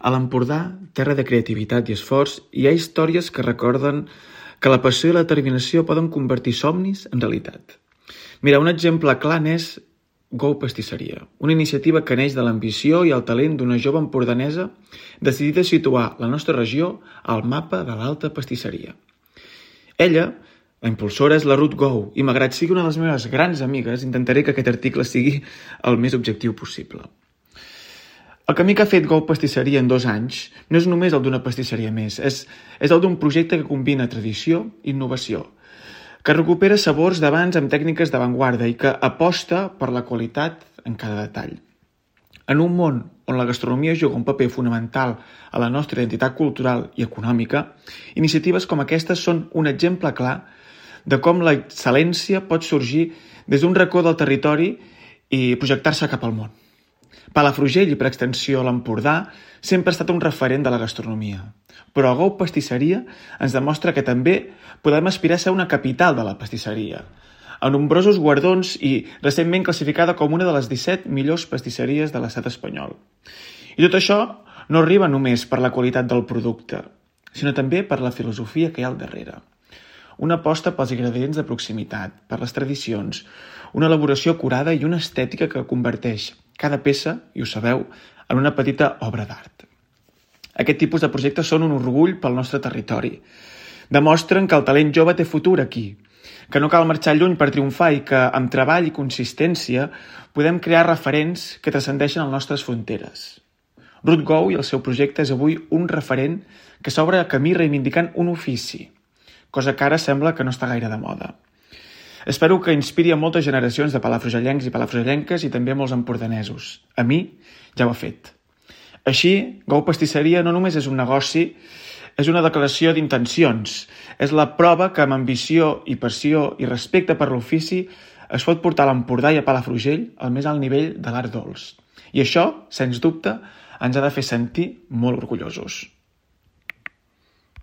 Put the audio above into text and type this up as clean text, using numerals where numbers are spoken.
A l'Empordà, terra de creativitat i esforç, hi ha històries que recorden que la passió i la determinació poden convertir somnis en realitat. Mira, un exemple clar n'és Go Pastisseria, una iniciativa que neix de l'ambició i el talent d'una jove empordanesa decidida a situar la nostra regió al mapa de l'alta pastisseria. Ella, la impulsora, és la Ruth Gou i malgrat sigui una de les meves grans amigues, intentaré que aquest article sigui el més objectiu possible. El camí que ha fet Go Pastisseria en 2 anys no és només el d'una pastisseria més, és el d'un projecte que combina tradició i innovació, que recupera sabors d'abans amb tècniques d'avantguarda i que aposta per la qualitat en cada detall. En un món on la gastronomia juga un paper fonamental a la nostra identitat cultural i econòmica, iniciatives com aquestes són un exemple clar de com l'excel·lència pot sorgir des d'un racó del territori i projectar-se cap al món. Palafrugell i, per extensió, l'Empordà sempre ha estat un referent de la gastronomia, però Go Pastisseria ens demostra que també podem aspirar a ser una capital de la pastisseria, amb nombrosos guardons i recentment classificada com una de les 17 millors pastisseries de l'estat espanyol. I tot això no arriba només per la qualitat del producte, sinó també per la filosofia que hi ha al darrere. Una aposta pels ingredients de proximitat, per les tradicions, una elaboració acurada i una estètica que converteix cada peça, i ho sabeu, en una petita obra d'art. Aquest tipus de projectes són un orgull pel nostre territori. Demostren que el talent jove té futur aquí, que no cal marxar lluny per triomfar i que, amb treball i consistència, podem crear referents que transcendeixen les nostres fronteres. Ruth Gou i el seu projecte és avui un referent que s'obre a camí reivindicant un ofici, cosa que ara sembla que no està gaire de moda. Espero que inspiri a moltes generacions de palafrugellencs i palafrugellenques i també a molts empordanesos. A mi ja ho ha fet. Així, Go Pastisseria no només és un negoci, és una declaració d'intencions. És la prova que amb ambició i passió i respecte per l'ofici es pot portar a l'Empordà i a Palafrugell al més alt nivell de l'art dolç. I això, sens dubte, ens ha de fer sentir molt orgullosos.